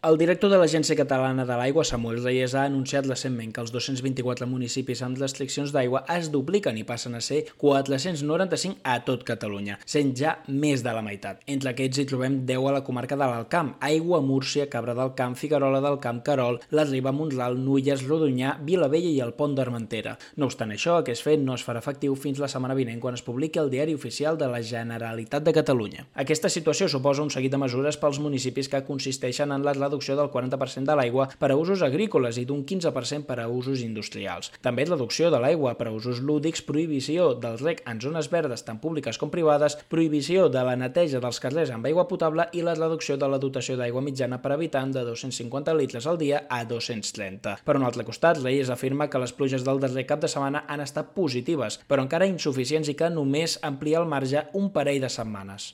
El director de l'Agència Catalana de l'Aigua, Samuel Reyes, ha anunciat recentment que els 224 municipis amb restriccions d'aigua es dupliquen i passen a ser 495 a tot Catalunya, sent ja més de la meitat. Entre aquests hi trobem 10 a la comarca de l'Alt Camp: Aigua, Múrcia, Cabra del Camp, Figuerola del Camp, Querol, la Riba, Mont-ral, Nulles, Rodonyà, Vilavella i el Pont d'Armentera. No obstant això, aquest fet no es farà efectiu fins la setmana vinent, quan es publiqui al Diari Oficial de la Generalitat de Catalunya. Aquesta situació suposa un seguit de mesures pels municipis que consisteixen en la reducció del 40% de l'aigua per a usos agrícoles i d'un 15% per a usos industrials. També reducció de l'aigua per a usos lúdics, prohibició del reg en zones verdes tant públiques com privades, prohibició de la neteja dels carrers amb aigua potable i la reducció de la dotació d'aigua mitjana per habitant de 250 litres al dia a 230. Per un altre costat, Reyes afirma que les pluges del darrer cap de setmana han estat positives, però encara insuficients i que només amplia el marge un parell de setmanes.